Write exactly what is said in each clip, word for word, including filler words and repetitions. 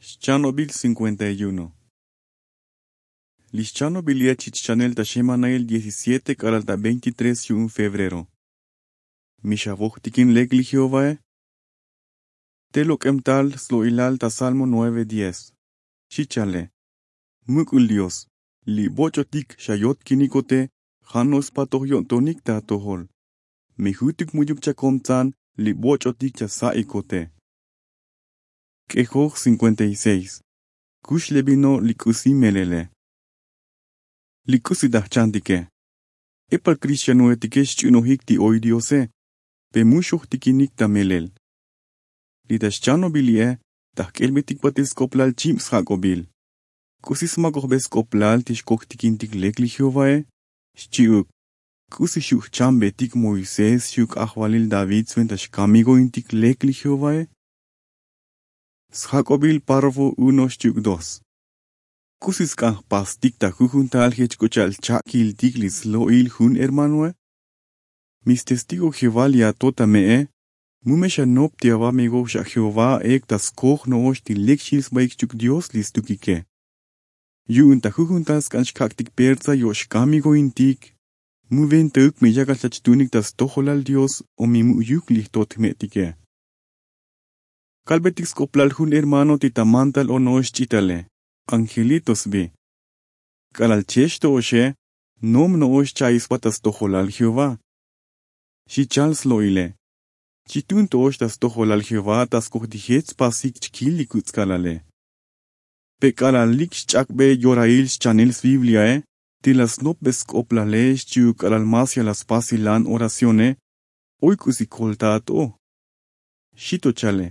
Xchanobil cincuenta y uno. Li xchanobil yech chich chanel ta xemanail diecisiete k'alal ta veintitrés yu'un febrero. Mi xavojtikin lek li jehovae. Te lok'em tal slo'ilal ta salmo nueve diez. Xi chale. Muk'ul dios, li voch'otik xayotkinikote ja' no spatoj yo'ntonik ta atojol. Mi jutuk mu'yuk chakomtsan li voch'otik chasa'ikote. K'ejoj cincuenta y seis. Kux le vino li k'usi melele. Li k'usi ta jchantike. Epal kristianoetike xch'unojik ti oy diose. Pe mu xojtikinik ta melel. Li ta xchanobil li'e ta jk'elbetik batel sk'oplal chib sjak'obil. K'usi smakojbe sk'oplal ti xkojtikintik lek li jehovae? Xchi'uk. K'usi xu' jchambetik moisés xchi'uk ajvalil david sventa xkamigointik lek li jehovae? Sjak'obil párrafo uno xchi'uk dos. K'usi sk'an jpastik ta jujuntal jech k'u cha'al cha'kiltik li slo'il jun hermanoe? Mi stestigo jehová li ato ta me'e. Mu me xanop ti avamigo xak jehová ek ta skoj no'ox ti lek xil sbaik xchi'uk dios li stukike. Yu'un ta jujuntal sk'an xkak'tik persa yo' xkamigointik. Mu ventauk mi yakal chach tunik ta stojolal dios o mi mu'yuk li jtot jme'tike. Kalbetik sk'oplal jun hermano ti ta mantal o no'ox ch'itale, angelito sbi. K'alal chex to'oxe, nom no'ox cha'i sba ta stojolal jehová. Xi chal slo'ile. Chitun to'ox ta stojolal jehová ta skoj ti jech spasik chkil li kutz'kalale. Pe k'alal lik xch'akbe yorail xchanel sbibliae ti la snopbe sk'oplale xchi'uk k'alal mas ya la spasilan oracione. Oy k'usi kolta ato'o. Xi to chale.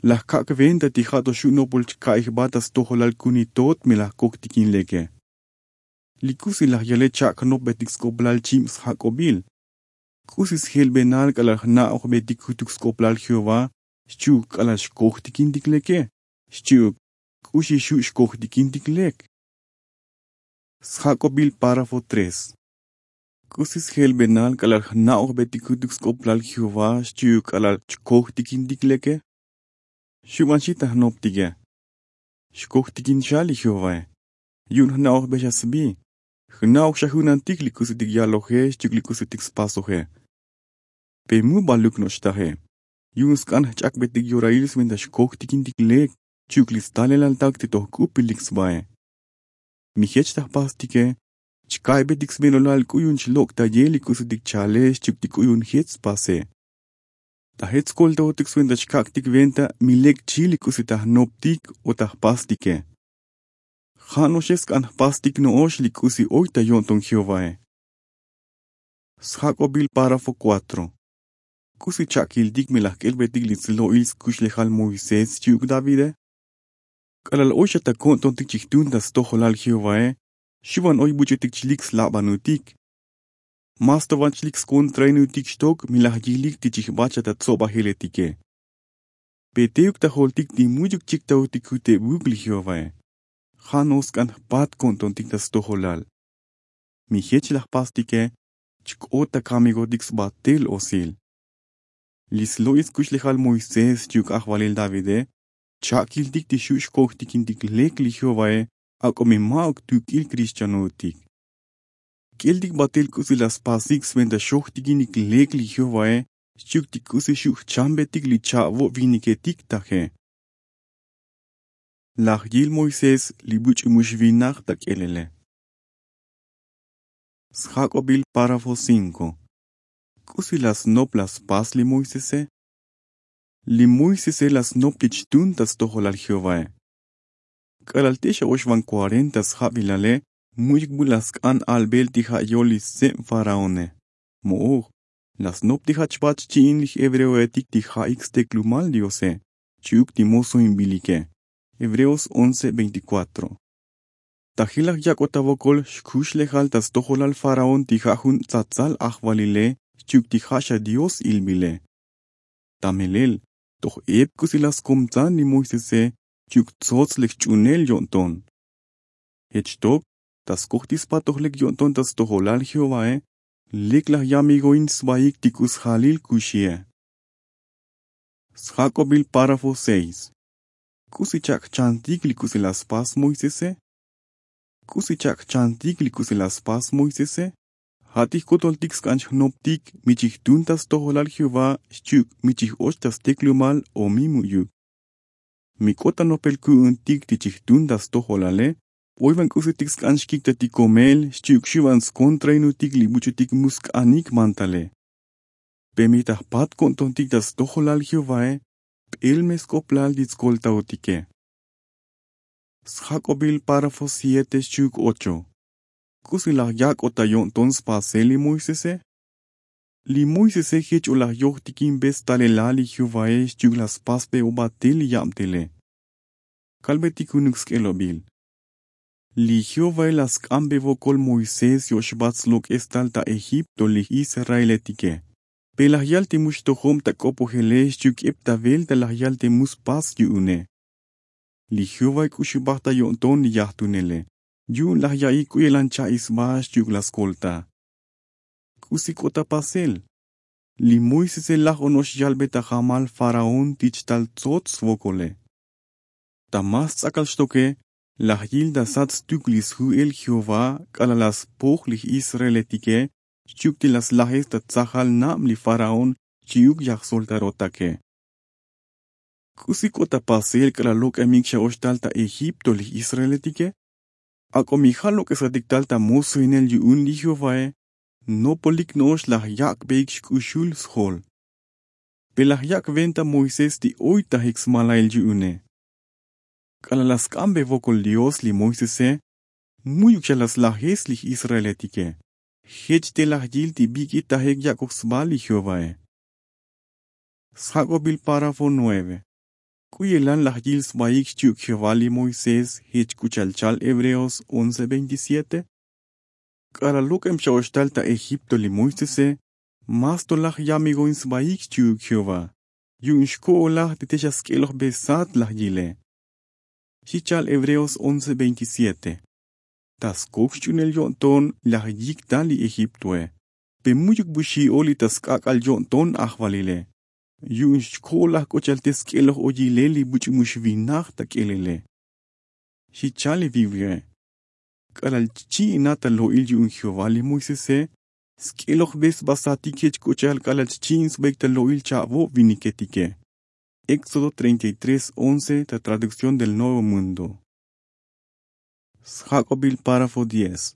La jkak' venta ti ja' to xu' nopol chka'i jba ta stojolal kuni tot mi la jkojtikin leke. Li k'usi laj yale chak' jnopbetik sk'oplal chib sjak'obil. K'usi sjelbenal k'alal jna'ojbetik jutuk sk'oplal jehová xchi'uk k'alal xkojtikintik leke? Xchi'uk k'uxi xu' xkojtikintik lek? Sjak'obil párrafo tres. K'usi sjelbenal k'alal jna'ojbetik jutuk sk'oplal jehová xchi'uk k'alal chkojtikintik leke? Xuban xi ta jnoptike. Xkojtikin xa li jehovae. Yu'un jna'ojbe xa sbi. Jna'oj xa junantik li k'usitik yaloje xchi'uk li k'usitik spasoje. Pe mu baluk no'ox taje. Yu'un sk'an jch'akbetik yorail sventa xkojtikintik lek xchi'uk li stalelaltak ti to jk'upilik sbae. Mi jech ta jpastike chka'aybetik smelolal k'u yu'un chlok' ta ye li k'usitik chale xchi'uk ti k'u yu'un jech spase. Ta jech skoltaotik sventa chkak'tik venta mi lek chil li k'usi ta jnoptik o ta jpastike. Ja' no'oxe sk'an jpastik no'ox li k'usi oy ta yo'nton jehovae. Sjak'obil párrafo kuatro. K'usi cha'kiltik mi la jk'elbetik li slo'il skuxlejal moisés xchi'uk davide? K'alal oy xa ta ko'ntontik chijtun ta stojolal jehovae xuban oy buch'utik chlik slabanutik. Mas to van chlik skontrainutik xtok mi laj yilik ti chijbat xa ta tsobajeletike. Pe teuk ta joltik ti mu'yuk chiktaotik jutebuk li jehovae. Ja' no sk'an jpat ko'ntontik ta stojolal. Mi jech laj pastike chk'ot ta kamigotik sbatel osil. Li slo'il skuxlejal moisés xchi'uk ajvalil davide cha'kiltik ti xu' xkojtikintik lek li jehovae ak'o mi ma'uk tuk'il kristianotik. K'eltik batel k'usi la spasik sventa xojtikinik lek li jehovae xchi'uk ti k'usi xu' jchambetik li cha'vo' viniketik taje. Laj yil moisés li buch'u mu xvinaj ta k'elele. Sjak'obil párrafo cinco. K'usi la snop la spas li moisese? Li moisese la snop ti chtun ta stojolal jehovae. K'alal te xa oxvan kuarenta sjabilale mu'yuk bu la sk'an albel ti ja' yol li stseb faraone. Mo'oj la snop ti jach bat xchi'in li jhebreoetik ti ja'ik steklumal diose xchi'uk ti mozoinbilike. Hebreos once veinticuatro. Ta jilaj yak'ot ta vokol xkuxlejal ta stojolal faraón ti ja' jun tsatsal ajvalile xchi'uk ti ja' xa dios ilbile. Ta melel toj ep k'usi la skomtsan li moisese xchi'uk tsots lek xch'unel yo'nton. Jech xtok ta skoj ti spatoj lek yo'nton ta stojolal jehovae lek laj yamigoin sbaik ti k'u sjalil kuxie. Sjak'obil párrafo seis. K'usi chak' jchantik li k'usi la spas moisese? K'usi chak' jchantik li k'usi la spas moisese? Ja' ti jkotoltik sk'an xjnoptik mi chijtun ta stojolal jehová xchi'uk mi chij'och ta steklumal o mi mu'yuk. Mi k'ot ta nopel ku'untik ti chijtun ta stojolale, oyvan k'usitik sk'an xkiktatik komel xchi'uk xuvan skontrainutik li buch'utik mu sk'anik mantale. Pe mi ta jpat ko'ntontik ta stojolal jehovae, p'el me sk'oplal ti tskoltaotike. Sjak'obil párrafo siete xchi'uk ocho. K'usi laj yak'ot ta yo'nton spasel li moisese? Li moisese jech o laj yojtikinbe stalelal li jehovae xchi'uk la spasbe o batel li yabtele. Kalbetik junuk sk'elobil. Li jehovae la sk'anbe vokol moisés yo'xbat slok'es tal ta egipto li israeletike. Pe laj yal te mu xtojob ta k'opojele xchi'uk ep ta velta laj yal te mu spas yu'une. Li jehovae k'u xubaj ta yo'nton li yajtunele, yu'un laj ya'i k'u yelan cha'i sba xchi'uk la skolta. K'usi k'ot ta pasel? Li moisese laj ono'ox yalbe ta jamal faraón ti chtal tsots svokole. Ta mas ts'akal xtoke, laj yil ta sat stuk li sju'el jehová k'alal la spoj li israeletike xchi'uk ti la slajes ta tsajal nab li faraón xchi'uk yaj soltarotake. K'usi k'ot ta pasel k'alal lok'emik xa oxtal ta egipto li israeletike? Ak'o mi ja' lok'esatik tal ta mosoinel yu'un li jehovae, nopolik no'ox laj yak'beik xk'uxul sjol. Pe laj yak' venta moisés ti oytajik smalail yu'une? K'alal la sk'anbe vokol dios li moisese, mu'yuk xa la slajes li israeletike. Jech te laj yil ti bik'itajik yak'oj sba li jehovae. Sjak'obil párrafo nueve. K'u yelan laj yil sbaik xchi'uk jehová li moisés jech k'u cha'al chal hebreos once veintisiete? K'alal lok'em xa oxtal ta egipto li moisese, mas to laj yamigoin sbaik xchi'uk jehová, yu'un xko'olaj ti te xa sk'elojbe sat laj yile. Xi cha'al hebreos once veintisiete. Ta skok xch'uunel yo'nton laj yik tal li egiptoe, pe mu'yuk bu xi'ol li ta sk'ak'al yo'nton ajvalile, yu'un xko'olaj k'u cha'al te sk'eloj o yilel li buch'u mu xvinaj ta k'elele. Xi cha'al li bibliae. K'alal chchi'inat ta lo'il yu'un jehová li moisese, sk'elojbe sba satik jech k'u cha'al k'alal chchi'in sbaik ta lo'il cha'vob viniketike. Éxodo treinta y tres once ta traducción del nuevo mundo. Sjak'obil párrafo diez.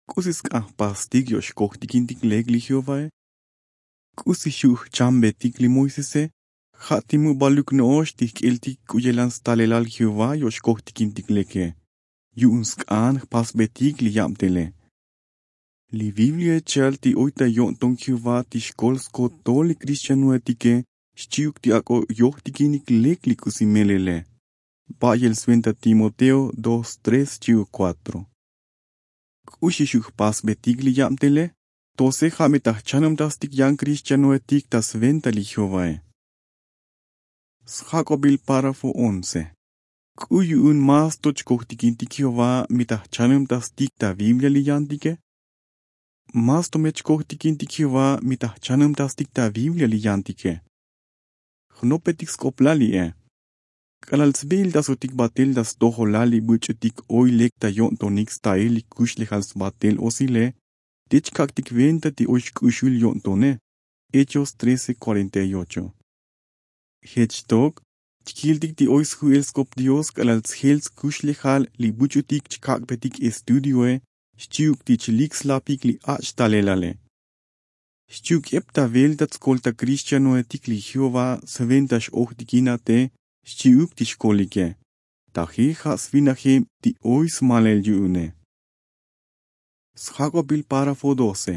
K'usi sk'an jpastik yo'xkojtikintik lek li jehovae? K'usi xu' jchambetik li moisese? Ja' ti mu baluk no'ox ti jk'eltik k'u yelan stalelal jehová yo'xkojtikintik leke, yu'un sk'an jpasbetik li yabtele. Li bibliae chal ti oy ta yo'nton jehová ti xkol skotol li kristianoetike xchi'uk ti ak'o yojtikinik lek li k'usi melele. Ba'yel sventa timoteo dos tres xchi'uk kuatro. K'uxi xu' jpasbetik li yabtele? Tose ja' mi ta jchanubtastik yan kristianoetik ta sventa li jehovae. Sjak'obil párrafo once. K'u yu'un mas to chkojtikintik jehová mi ta jchanubtastik ta biblia li yantike? Mas to me chkojtikintik jehová mi ta jchanubtastik ta biblia li yantike? Jnopetik sk'oplal li'e. K'alal tsbiiltasotik batel ta stojolal li buch'utik oy lek ta yo'ntonik stail li kuxlejal sbatel osile, te chkak'tik venta ti oy xk'uxul yo'ntone. Hechos trece cuarenta y ocho. Jech xtok, chkiltik ti oy sju'el sk'op dios k'alal tsjel tskuxlejal li buch'utik chkak'betik estudioe xchi'uk ti chlik slapik li ach' talelale. Xchi'uk ep ta velta tskolta kristianoetik li jehová sventa x'ojtikinate xchi'uk ti xkolike, taji ja' svinajeb ti oy smalel yu'une. Sjak'obil párrafo doce.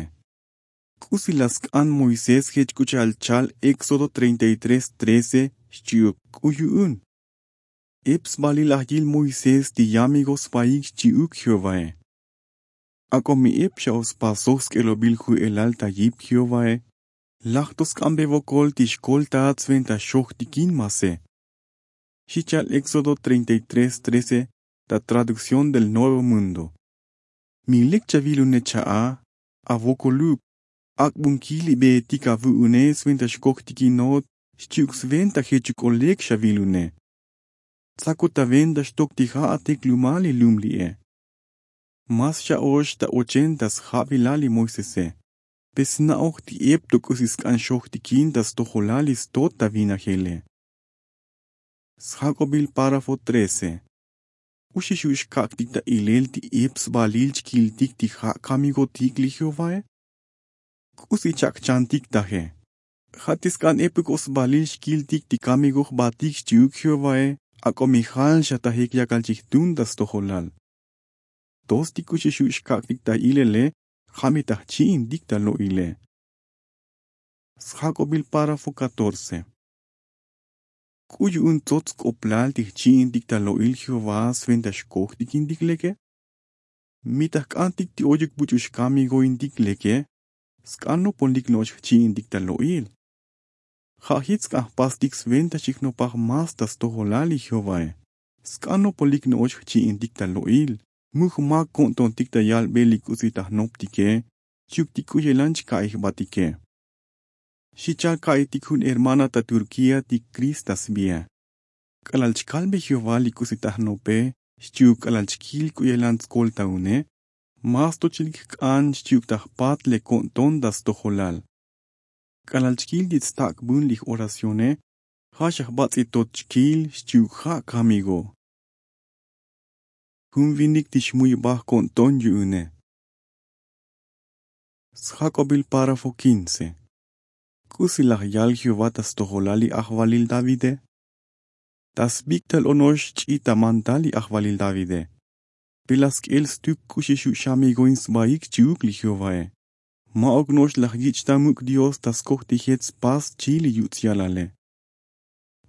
K'usi la sk'an moisés jech k'u cha'al chal éxodo treinta y tres trece xchi'uk k'u yu'un? Ep sbalil laj yil moisés ti yamigo sbaik xchi'uk jehovae. Ak'o mi ep xa o spasoj sk'elobil ju'elal ta yip jehovae, laj to sk'anbe vokol ti xkoltaat sventa xojtikin mase. Xi cha'al éxodo treinta y tres trece ta traducción del nuevo mundo. Mi lek chavilune cha'a, avokoluk, ak'bunkil li beetik avu'une sventa xkojtikinot xchi'uk sventa jechuk o lek xavilune. Tsakot ta venta xtok ti ja' atek lumal li lum li'e. Mas xa'ox ta ochenta sjabilal li moisese. Pe sna'oj ti ep to k'usi sk'an xojtikin ta stojolal li stot ta vinajele. Sjak'obil párrafo trece. K'uxi xu' xkak'tik ta ilel ti ep sbalil chkiltik ti ja' kamigotik li jehovae? K'usi chak' chantik taje? Ja' ti sk'an epuk o sbalil xkiltik ti kamigo jbatik xchi'uk jehovae, ak'o mi jal xa tajik yakal chijtun ta stojolal. Tos ti k'uxi xu' xkak'tik ta ilele, ja' mi ta jchi'intik ta lo'ile. Sjak'obil párrafo catorce. K'u yu'un tsots sk'oplal ti jchi'intik ta lo'il jehová sventa xkojtikintik leke? Mi ta jk'antik ti oyuk buch'u xkamigointik leke, sk'an nopolik no'ox jchi'intik ta lo'il. Ja' jich sk'an jpastik sventa xijnopaj más ta stojolal li jehovae. Sk'an nopolik no'ox jchi'intik ta lo'il, mu jmak ko'ntontik ta yalbel li k'usi ta jnoptike, xchi'uk ti k'u yelan chka'i jbatike. Xi chal ka'itik jun hermana ta turkía ti krist ta sbie. K'alal chkalbe jehová li k'usi ta jnope, xchi'uk k'alal chkil k'u yelan tskoltaune, más to chilik jk'an xchi'uk ta jpat le ko'nton ta stojolal. K'alal chkil ti tstak'bun li j'oracione, ja' xa jbats'i tot chkil xchi'uk ja' kamigo. Jun vinik ti xmuybaj ko'nton yu'une. Sjak'obil párrafo quince. K'usi laj yal jehová ta stojolal li ajvalil davide? Ta sbik' tal ono'ox ch'i ta mantal li ajvalil davide. Pe laj sk'el stuk k'uxi xu' xamigoin sbaik xchi'uk li jehovae. Ma'uk no'ox laj yich' ta muk' dios ta skoj ti jech spas xchi li yuts' yalale.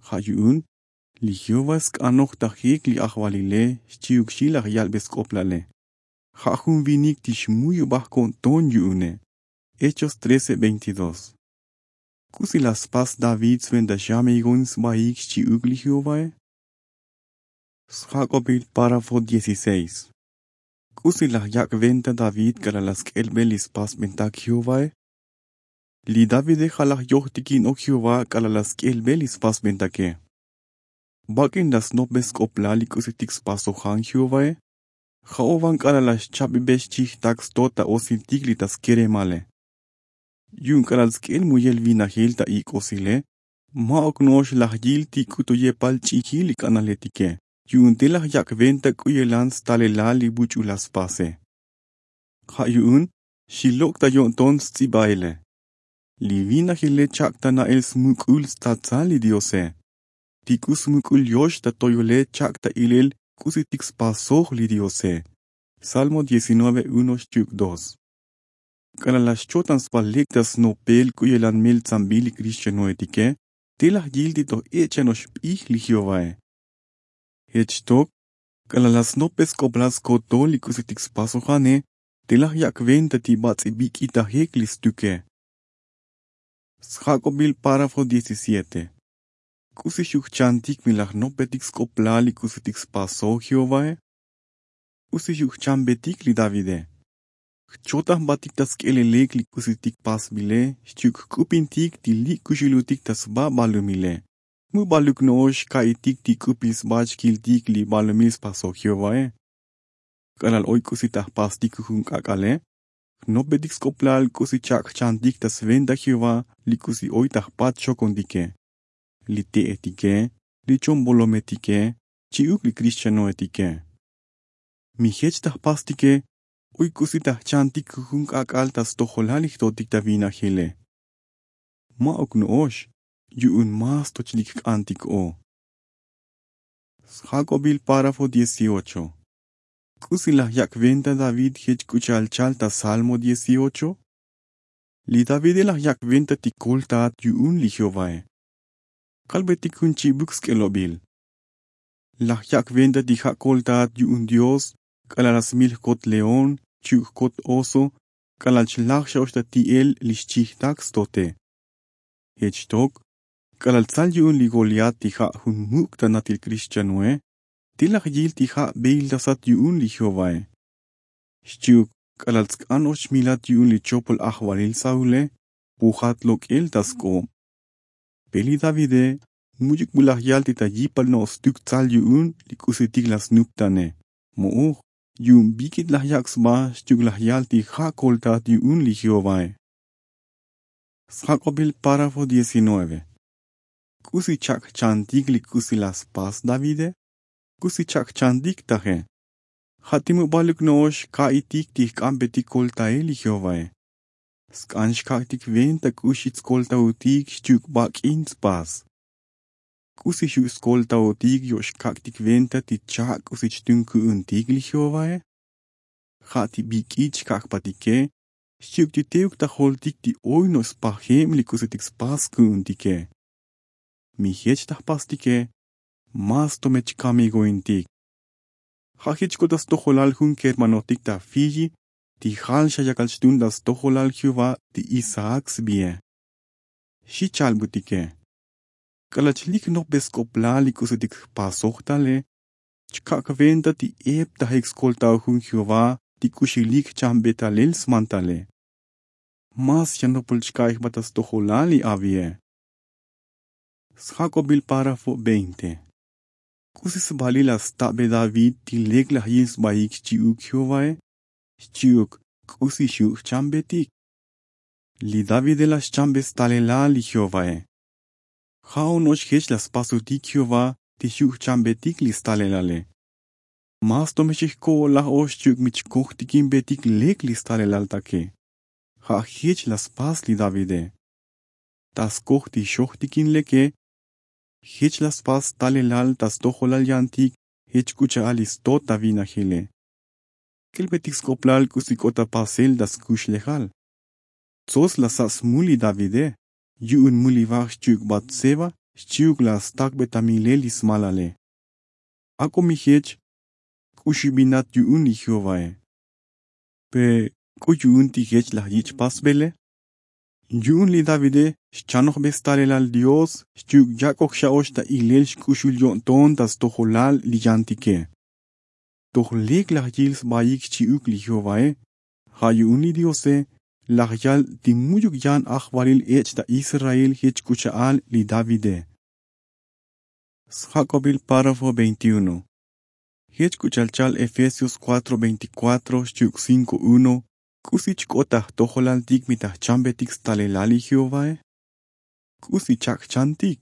Ja' yu'un li jehová sk'anoj ta jek li ajvalile xchi'uk xi laj yalbe sk'oplale. Ja' jun vinik ti xmuyubaj ko'nton yu'une. Hechos trece veintidós. K'usi laj spas david sventa xamigoin sbaik xchi'uk li jehovae? Sjak'obil párrafo dieciséis. K'usi laj yak' venta david k'alal laj sk'elbe li spasbentak jehovae? Li davide ja' laj yojtikinok jehová k'alal laj sk'elbe li spasbentake. Bak'in laj snopbe sk'oplal li k'usitik spasojan jehovae? Ja'o van k'alal laj xchabibe xchijtak stot ta osiltik li ta skeremale. Yu'un k'alal sk'el muyel vinajil ta ik'osile, ma'uk no'ox laj yil ti k'u to yepal ch'ijil li k'analetike yu'un te laj yak' venta k'u yelan stalelal li buch'u laj spase. Ja' yu'un xi lok' ta yo'nton sts'ibaele. Li vinajile chak' ta na'el smuk'ul stsatsal li diose. Ti k'u smuk'ul yox ta toyole chak' ta ilel k'usitik spasoj li diose. Salmo diecinueve uno xchi'uk dos. K'alal laj xchotan sba lek ta snopel k'u yelan meltsambil li kristianoetike, te laj yil ti toj ech' chano'ox p'ij li jehovae. Jech xtok k'alal laj snopbe sk'oplal skotol li k'usitik spasojane, te laj yak' venta ti bats'i bik'itajek li stuke. Sjak'obil párrafo diecisiete. K'usi xu' jchantik mi laj jnopbetik sk'oplal li k'usitik spasoj jehovae? K'usi xu' jchanbetik li davide? Jchotan jbatik ta sk'elelek li k'usitik pasbile xchi'uk jk'upintik ti li' kuxulotik ta sba balumile. Mu baluk no'ox ka'itik ti k'upil sba chkiltik li balumil spasoj jehovae? K'alal oy k'usi ta jpastik jujun k'ak'ale, jnopbetik sk'oplal k'usi chak' jchantik ta sventa jehová li k'usi oy ta jpat xokontike, li te'etike, li chombolometike, chi'uk li kristianoetike. Mi jech ta jpastike oy k'usi ta jchantik jujun k'ak'al ta stojolal li jtotik ta vinajile. Ma'uk no'ox yu'un más to chilik jk'antik o. Sjak'obil párrafo dieciocho. K'usi laj yak' venta david jech k'u cha'al chal ta salmo dieciocho? Li davide laj yak' venta ti koltaat yu'un li jehovae. Kalbetik jun chi'buk sk'elobil. Laj yak' venta ti ja' koltaat yu'un dios k'alal laj smil jkot león, chi'uk jkot oso, k'alal chlaj xa'ox ta ti'el li xchijtak stote. Jech xtok k'alal tsal yu'un li goliat ti ja' jun muk' ta natil kristianoe, te laj yil ti ja' beiltasat yu'un li jehovae. Xchi'uk k'alal tsk'an och milat yu'un li chopol ajvalil saule, pujat lok'el ta sk'ob. Pe li davide much'uk bu laj yal ti ta yipal no'ox stuk tsal yu'un li k'usitik la snuptane. Mo'oj, yu'un bik'it laj yak' sba xchi'uk laj yal ti ja' koltat yu'un li jehovae. Sjak'obil párafo diecinueve. K'usi chak' jchantik li k'usi la spas davide? K'usi chak' jchantik taje? Ja' ti mu baluk no'ox ka'itik ti jk'anbetik koltael li jehovae. Sk'an xkak'tik venta k'uxi tskoltautik xchi'uk bak'in tspas. K'usi xu' skoltautik yo' xkak'tik venta ti chak' k'usi chtun ku'untik li jehovae? Ja' ti bik'it xkak' jpatike xchi'uk ti teuk ta joltik ti oy no'ox spajeb li k'usitik spas ku'untike. Mi jech ta jpastike, mas to me chkamigointik. Ja' jech k'ot ta stojolal jun kermanotik ta fiyi ti jal xa yakal chtun ta stojolal jehová ti isaac sbie. Xi chalbutike, k'alal chlik jnopbe sk'oplal li k'usitik jpasoj tale, chkak' venta ti ep ta jek skoltao jun jehová ti k'uxilik jchambe talel smantale. Mas yanopol chka'i jba ta stojolal li avie. Sjak'obil párafo veinte. K'usi sbalil la stabe david ti lek laj yil sbaik xchi'uk jehovae? Xchi'uk k'usi xu' jchambetik? Li davide la xchambe stalelal li jehovae. Ja' ono'ox jech la spasutik jehová ti xu' jchambetik li stalelale. Mas to me xi jko'olaj ox xchi'uk mi chkojtikinbetik lek li stalelal take. Ja' jech la spas li davide. Ta skoj ti xojtikin leke, jech la spas stalelal ta stojolal yantik jech k'u cha'al li stot ta vinajile. K'elbetik sk'oplal k'usi k'ot ta pasel ta skuxlejal. Tsots la sa' smul li davide yu'un mul li vaj xchi'uk batseba xchi'uk la stakbe ta milel li smalale. Ak'o mi jech k'uxibinat yu'un li jehovae. Pe k'u yu'un ti jech laj yich' pasbele? Yu'un li davide xchanojbe stalelal dios xchi'uk yak'oj xa ox ta ilel xk'uxul yo'nton ta stojolal li yantike. Toj lek laj yil sbaik xchi'uk li jehovae. Ja' yu'un li diose laj yal ti much'uk yan ajvalil ech' ta israel jech k'u cha'al li davide. Sjak'obil párafo veintiuno. Jech k'u cha'al chal efesios cuatro veinticuatro xchi'uk cinko uno. K'usi chk'ot ta jtojolaltik mi ta jchambetik stalelal li jehovae? K'usi chak' jchantik?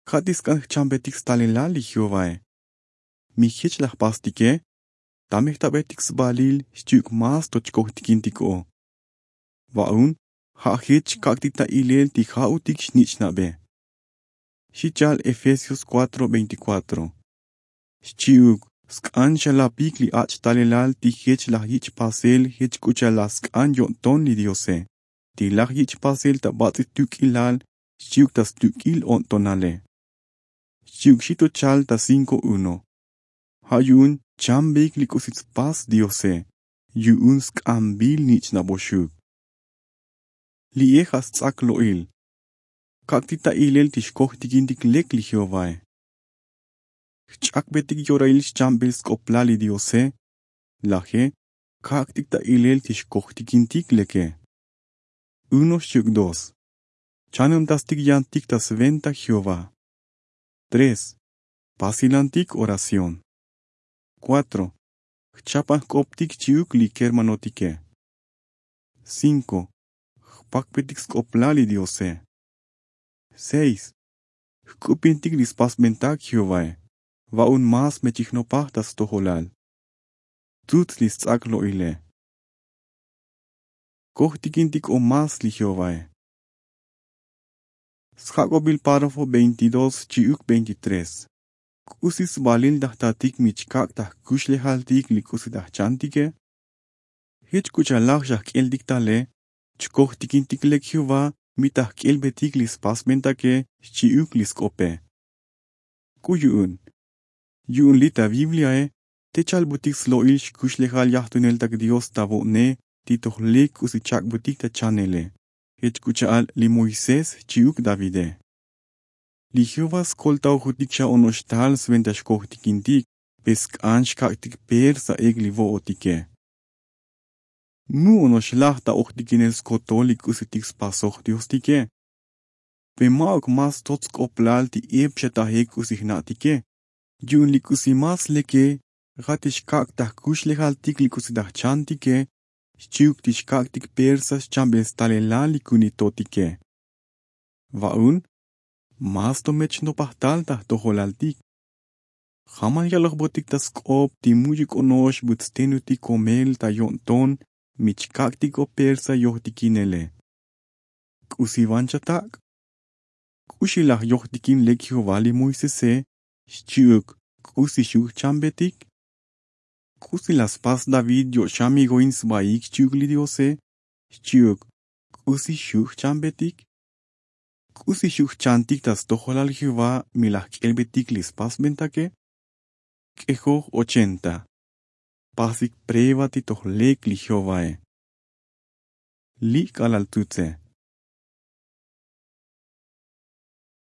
Ja' ti sk'an jchambetik stalelal li jehovae. Mi jech la jpastike, tame jtabetik sbalil xchi'uk mas to chkojtikintik o. Va'un ja' jech xkak'tik ta ilel ti ja'utik xnich'nabe. Xi cha'al efesios cuatro veinticuatro. Xchi'uk sk'an xa lapik li ach' talelal ti jech laj yich' pasel jech k'u cha'al la sk'an yo'nton li diose ti laj yich' pasel ta bats'il tuk'ilal xchi'uk ta stuk'il o'ntonale. Xchi'uk xi to chal ta cinko uno. Ja' yu'un chambeik li k'usi tspas diose yu'un sk'anbil nich'naboxuk. Li'e ja' sts'ak lo'il. Kak'tik ta ilel ti xkojtikintik lek li jehovae. Jch'akbetik yorail xchambel sk'oplal li diose. Laje kak'tik ta ilel ti xkojtikintik leke. Uno xchi'uk dos. Chanuntastik yantik ta sventa jehová. Tres. Pasilantik oración. Cuatro. Jchapan jk'optik xchi'uk li kermanotike. Cinko. Jpakbetik sk'oplal li diose. Seis. Jk'upintik li spasbentak jehovae. Va'un mas me chijnopaj ta stojolal. Tzutz li sts'ak lo'ile. Kojtikintik o mas li jehovae. Sjak'obil párafo veintidós xchi'uk veintitrés. K'usi sbalil ta jtatik mi chkak' ta jkuxlejaltik li k'usi ta jchantike? Jech k'u cha'al laj xa jk'eltik tale chkojtikintik lek jehová mi ta jk'elbetik li spasbentake xchi'uk li sk'ope. K'u yu'un yu'un li' ta bibliae te chalbutik slo'il xkuxlejal yajtuneltak dios ta vo'ne ti toj lek k'usi chak'butik ta chanele. Jech k'u cha'al li moisés xchi'uk davide. Li jehová skoltaojutik xa ono'ox tal sventa xkojtikintik pe sk'an xkak'tik per sa'ek li vo'otike. Mu ono'ox laj ta ojtikinel skotol li k'usitik spasoj diostike. Pe ma'uk más tot sk'oplal ti ep xa taje k'usi jna'tike. Yu'un li k'usi más leke ja' ti xkak' ta jkuxlejaltik li k'usi ta jchantike xchi'uk ti xkak'tik persa xchamben stalelal li kunitotike. Va'un más to mech xnopaj tal ta jtojolaltik. Jamal yalojbotik ta sk'op ti mu'yuk ono'ox but stenutik komel ta yo'nton mi chkak'tik o persa yojtikinele. K'usi van chatak'? K'uxi laj yojtikin lek jehová li moisese xchi'uk? K'usi xu' jchambetik? K'usi laj spas david yo'xan mi go'in sbaik xchi'uk li diose xchi'uk? K'usi xu' jchambetik? K'usi xu' jchantik ta stojolal jehová mi laj jk'elbetik li spasbentake? K'ejoj ochenta. Pasik preva ti toj lek li jehovae. Li' k'alal tsutse.